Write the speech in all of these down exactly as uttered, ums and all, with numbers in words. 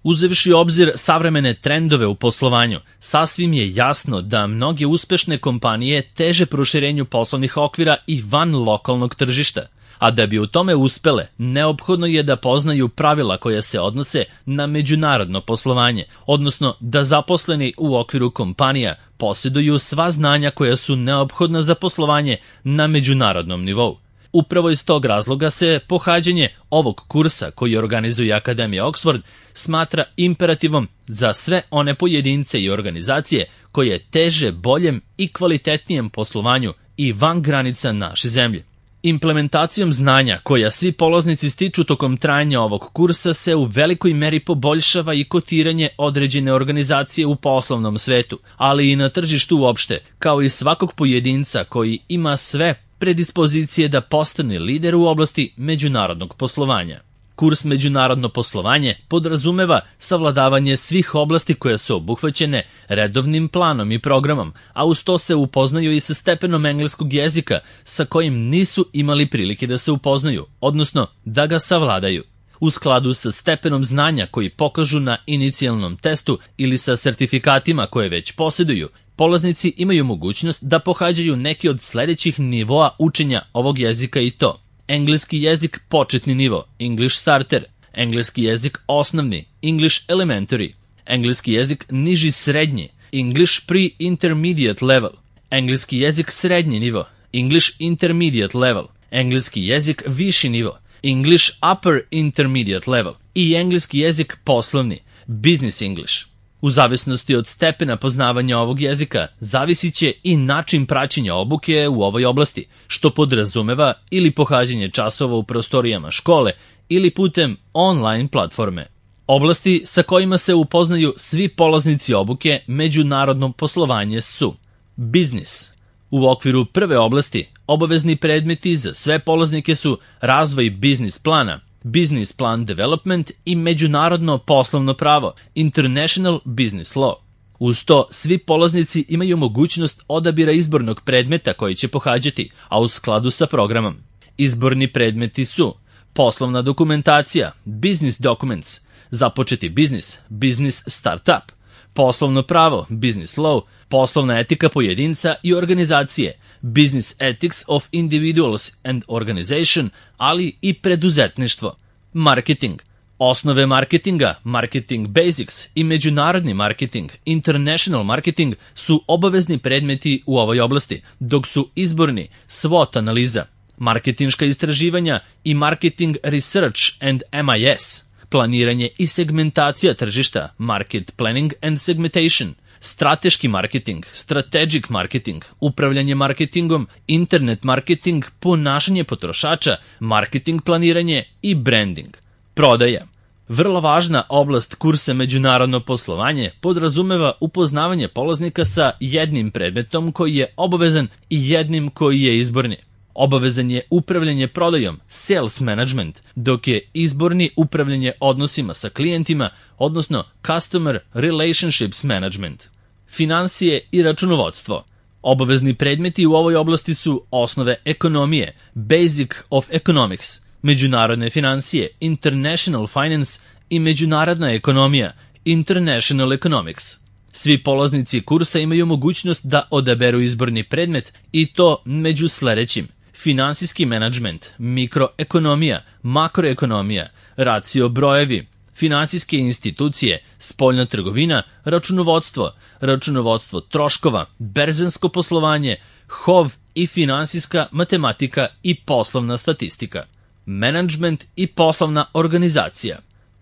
Uzevši u obzir savremene trendove u poslovanju, sasvim je jasno da mnoge uspešne kompanije teže proširenju poslovnih okvira i van lokalnog tržišta, a da bi u tome uspele, neophodno je da poznaju pravila koja se odnose na međunarodno poslovanje, odnosno da zaposleni u okviru kompanija posjeduju sva znanja koja su neophodna za poslovanje na međunarodnom nivou. Upravo iz tog razloga se pohađanje ovog kursa koji organizuje Akademija Oxford smatra imperativom za sve one pojedince i organizacije koje teže boljem i kvalitetnijem poslovanju i van granica naše zemlje. Implementacijom znanja koja svi polaznici stiču tokom trajanja ovog kursa se u velikoj meri poboljšava i kotiranje određene organizacije u poslovnom svetu, ali i na tržištu uopšte, kao i svakog pojedinca koji ima sve predispozicije da postane lider u oblasti međunarodnog poslovanja. Kurs Međunarodno poslovanje podrazumeva savladavanje svih oblasti koje su obuhvaćene redovnim planom i programom, a uz to se upoznaju i sa stepenom engleskog jezika sa kojim nisu imali prilike da se upoznaju, odnosno da ga savladaju. U skladu sa stepenom znanja koji pokažu na inicijalnom testu ili sa sertifikatima koje već posjeduju, polaznici imaju mogućnost da pohađaju neki od sledećih nivoa učenja ovog jezika i to: engleski jezik početni nivo, English starter, engleski jezik osnovni, English elementary, engleski jezik niži srednji, English pre-intermediate level, engleski jezik srednji nivo, English intermediate level, engleski jezik viši nivo, English upper intermediate level i engleski jezik poslovni, business English. U zavisnosti od stepena poznavanja ovog jezika, zavisit će i način praćenja obuke u ovoj oblasti, što podrazumeva ili pohađanje časova u prostorijama škole ili putem online platforme. Oblasti sa kojima se upoznaju svi polaznici obuke međunarodno poslovanje su: biznis. U okviru prve oblasti, obavezni predmeti za sve polaznike su razvoj biznis plana, Business Plan Development i međunarodno poslovno pravo, International Business Law. Uz to, svi polaznici imaju mogućnost odabira izbornog predmeta koji će pohađati, a u skladu sa programom. Izborni predmeti su: poslovna dokumentacija, Business Documents, započeti biznis, Business Startup, poslovno pravo, Business Law, poslovna etika pojedinca i organizacije, Business Ethics of Individuals and Organization, ali i preduzetništvo. Marketing. Osnove marketinga, Marketing Basics i međunarodni marketing, International Marketing su obavezni predmeti u ovoj oblasti, dok su izborni SWOT analiza, marketinška istraživanja i Marketing Research and M I S, planiranje i segmentacija tržišta, Market Planning and Segmentation, strateški marketing, strategic marketing, upravljanje marketingom, internet marketing, ponašanje potrošača, marketing planiranje i branding. Prodaja. Vrlo važna oblast kursa Međunarodno poslovanje podrazumeva upoznavanje polaznika sa jednim predmetom koji je obavezan i jednim koji je izborni. Obavezan je upravljanje prodajom, sales management, dok je izborni upravljanje odnosima sa klijentima, odnosno customer relationships management. Finansije i računovodstvo. Obavezni predmeti u ovoj oblasti su osnove ekonomije, Basic of Economics, međunarodne finansije, International Finance i međunarodna ekonomija, International Economics. Svi polaznici kursa imaju mogućnost da odaberu izborni predmet i to među sledećim: finansijski menadžment, mikroekonomija, makroekonomija, racio brojevi, finansijske institucije, spoljna trgovina, računovodstvo, računovodstvo troškova, berzansko poslovanje, H O V i finansijska matematika i poslovna statistika. Menadžment i poslovna organizacija.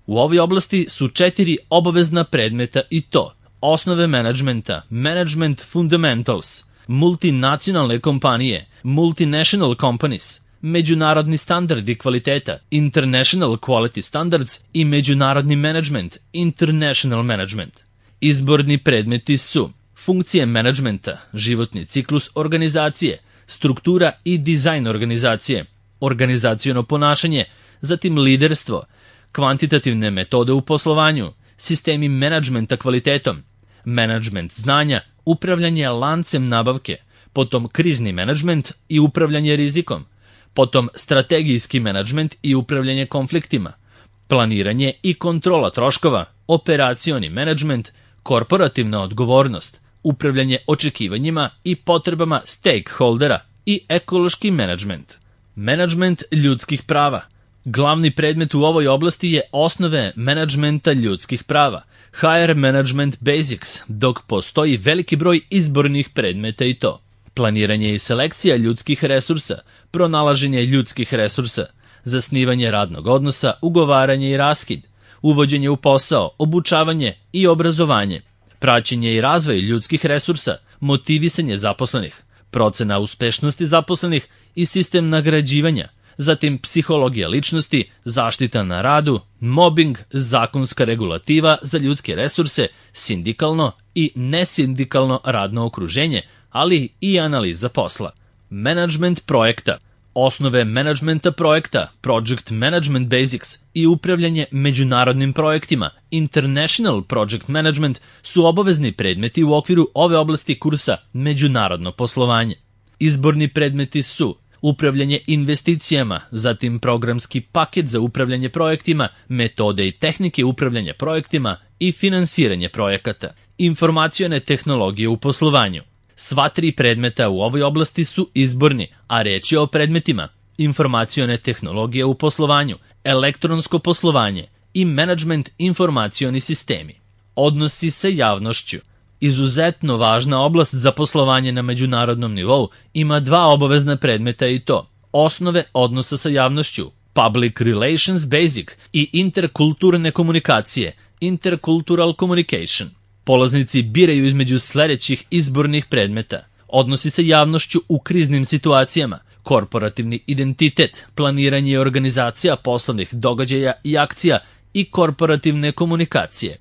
U ovoj oblasti su četiri obavezna predmeta i to: osnove menadžmenta, Management Fundamentals, multinacionalne kompanije, Multinational Companies, međunarodni standardi kvaliteta, International Quality Standards i međunarodni management, International Management. Izborni predmeti su: funkcije menadžmenta, životni ciklus organizacije, struktura i dizajn organizacije, organizaciono ponašanje, zatim liderstvo, kvantitativne metode u poslovanju, sistemi menadžmenta kvalitetom, menadžment znanja, upravljanje lancem nabavke, potom krizni menadžment i upravljanje rizikom, potom strategijski menadžment i upravljanje konfliktima, planiranje i kontrola troškova, operacioni menadžment, korporativna odgovornost, upravljanje očekivanjima i potrebama stakeholdera i ekološki menadžment. Menadžment ljudskih prava. Glavni predmet u ovoj oblasti je osnove menadžmenta ljudskih prava, H R Management Basics, dok postoji veliki broj izbornih predmeta i to. Planiranje i selekcija ljudskih resursa, pronalaženje ljudskih resursa, zasnivanje radnog odnosa, ugovaranje i raskid, uvođenje u posao, obučavanje i obrazovanje, praćenje i razvoj ljudskih resursa, motivisanje zaposlenih, procena uspešnosti zaposlenih i sistem nagrađivanja, zatim psihologija ličnosti, zaštita na radu, mobbing, zakonska regulativa za ljudske resurse, sindikalno i nesindikalno radno okruženje, ali i analiza posla. Menadžment projekta. Osnove menadžmenta projekta, Project Management Basics i upravljanje međunarodnim projektima, International Project Management, su obavezni predmeti u okviru ove oblasti kursa Međunarodno poslovanje. Izborni predmeti su upravljanje investicijama, zatim programski paket za upravljanje projektima, metode i tehnike upravljanja projektima i finansiranje projekata, informacione tehnologije u poslovanju. Sva tri predmeta u ovoj oblasti su izborni, a reč je o predmetima informacione tehnologije u poslovanju, elektronsko poslovanje i menadžment informacioni sistemi. Odnosi sa javnošću. Izuzetno važna oblast za poslovanje na međunarodnom nivou ima dva obavezna predmeta i to osnove odnosa sa javnošću, Public Relations Basic i interkulturne komunikacije, Intercultural Communication. Polaznici biraju između sledećih izbornih predmeta: odnosi sa javnošću u kriznim situacijama, korporativni identitet, planiranje i organizacija poslovnih događaja i akcija i korporativne komunikacije,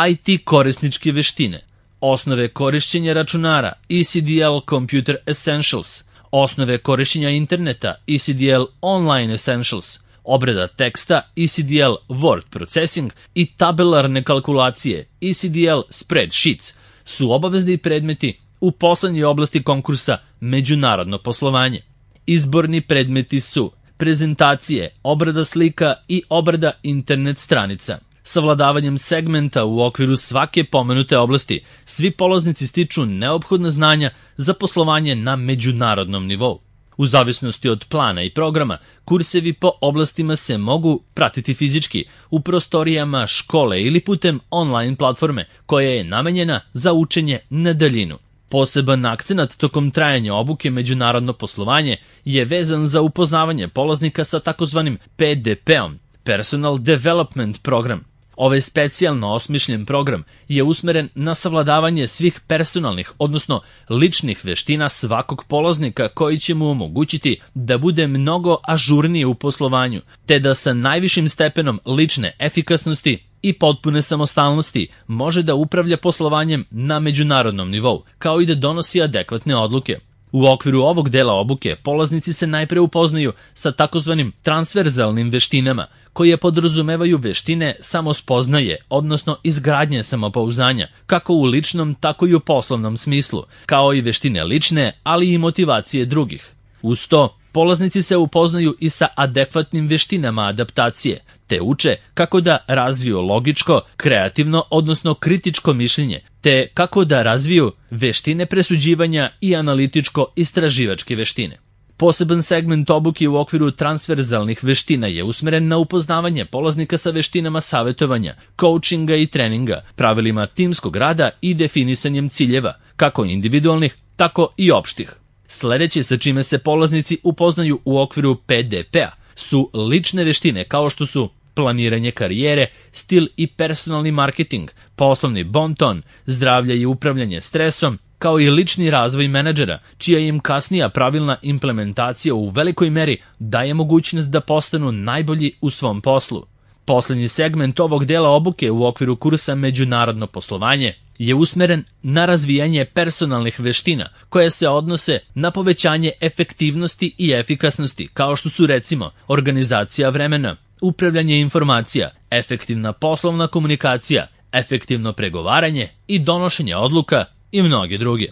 I T korisničke veštine, osnove korišćenja računara, E C D L Computer Essentials, osnove korišćenja interneta, E C D L Online Essentials, obrada teksta, E C D L Word Processing i tabelarne kalkulacije, E C D L Spreadsheets, su obavezni predmeti u poslednjoj oblasti konkursa Međunarodno poslovanje. Izborni predmeti su prezentacije, obrada slika i obrada internet stranica. Savladavanjem segmenta u okviru svake pomenute oblasti, svi polaznici stiču neophodna znanja za poslovanje na međunarodnom nivou. U zavisnosti od plana i programa, kursevi po oblastima se mogu pratiti fizički u prostorijama škole ili putem online platforme koja je namenjena za učenje na daljinu. Poseban akcenat tokom trajanja obuke Međunarodno poslovanje je vezan za upoznavanje polaznika sa takozvanim P D P-om, Personal Development Program. Ovaj specijalno osmišljen program je usmeren na savladavanje svih personalnih, odnosno ličnih veština svakog polaznika koji će mu omogućiti da bude mnogo ažurniji u poslovanju, te da sa najvišim stepenom lične efikasnosti i potpune samostalnosti može da upravlja poslovanjem na međunarodnom nivou, kao i da donosi adekvatne odluke. U okviru ovog dela obuke polaznici se najpre upoznaju sa takozvanim transverzalnim veštinama, koje podrazumevaju veštine samospoznaje, odnosno izgradnje samopouzdanja, kako u ličnom, tako i u poslovnom smislu, kao i veštine lične, ali i motivacije drugih. Uz to, polaznici se upoznaju i sa adekvatnim veštinama adaptacije, te uče kako da razviju logičko, kreativno, odnosno kritičko mišljenje, te kako da razviju veštine presuđivanja i analitičko-istraživačke veštine. Poseban segment obuke u okviru transverzalnih veština je usmeren na upoznavanje polaznika sa veštinama savetovanja, coachinga i treninga, pravilima timskog rada i definisanjem ciljeva, kako individualnih, tako i opštih. Sledeće sa čime se polaznici upoznaju u okviru P D P-a su lične veštine kao što su planiranje karijere, stil i personalni marketing, poslovni bonton, zdravlje i upravljanje stresom, kao i lični razvoj menadžera, čija im kasnija pravilna implementacija u velikoj meri daje mogućnost da postanu najbolji u svom poslu. Poslednji segment ovog dela obuke u okviru kursa Međunarodno poslovanje je usmeren na razvijanje personalnih veština koje se odnose na povećanje efektivnosti i efikasnosti, kao što su recimo organizacija vremena, upravljanje informacija, efektivna poslovna komunikacija, efektivno pregovaranje i donošenje odluka i mnoge druge.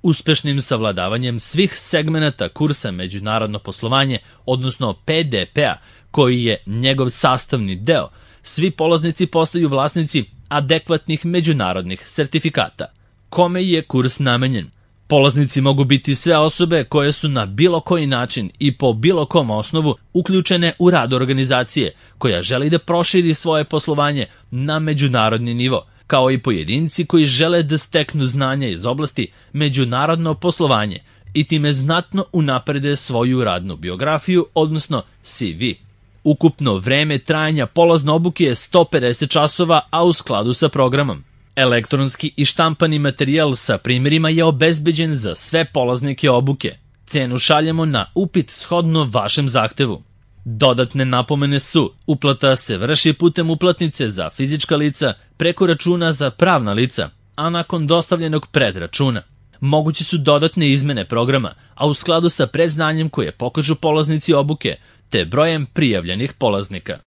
Uspešnim savladavanjem svih segmenata kursa Međunarodno poslovanje, odnosno P D P-a, koji je njegov sastavni deo, svi polaznici postaju vlasnici adekvatnih međunarodnih sertifikata. Kome je kurs namenjen? Polaznici mogu biti sve osobe koje su na bilo koji način i po bilo kom osnovu uključene u rad organizacije koja želi da proširi svoje poslovanje na međunarodni nivo, kao i pojedinci koji žele da steknu znanja iz oblasti međunarodno poslovanje i time znatno unaprede svoju radnu biografiju, odnosno C V. Ukupno vreme trajanja polazne obuke je sto pedeset časova, a u skladu sa programom. Elektronski i štampani materijal sa primjerima je obezbeđen za sve polaznike obuke. Cenu šaljemo na upit shodno vašem zahtevu. Dodatne napomene su: uplata se vrši putem uplatnice za fizička lica preko računa za pravna lica, a nakon dostavljenog predračuna. Moguće su dodatne izmene programa, a u skladu sa predznanjem koje pokažu polaznici obuke, te brojem prijavljenih polaznika.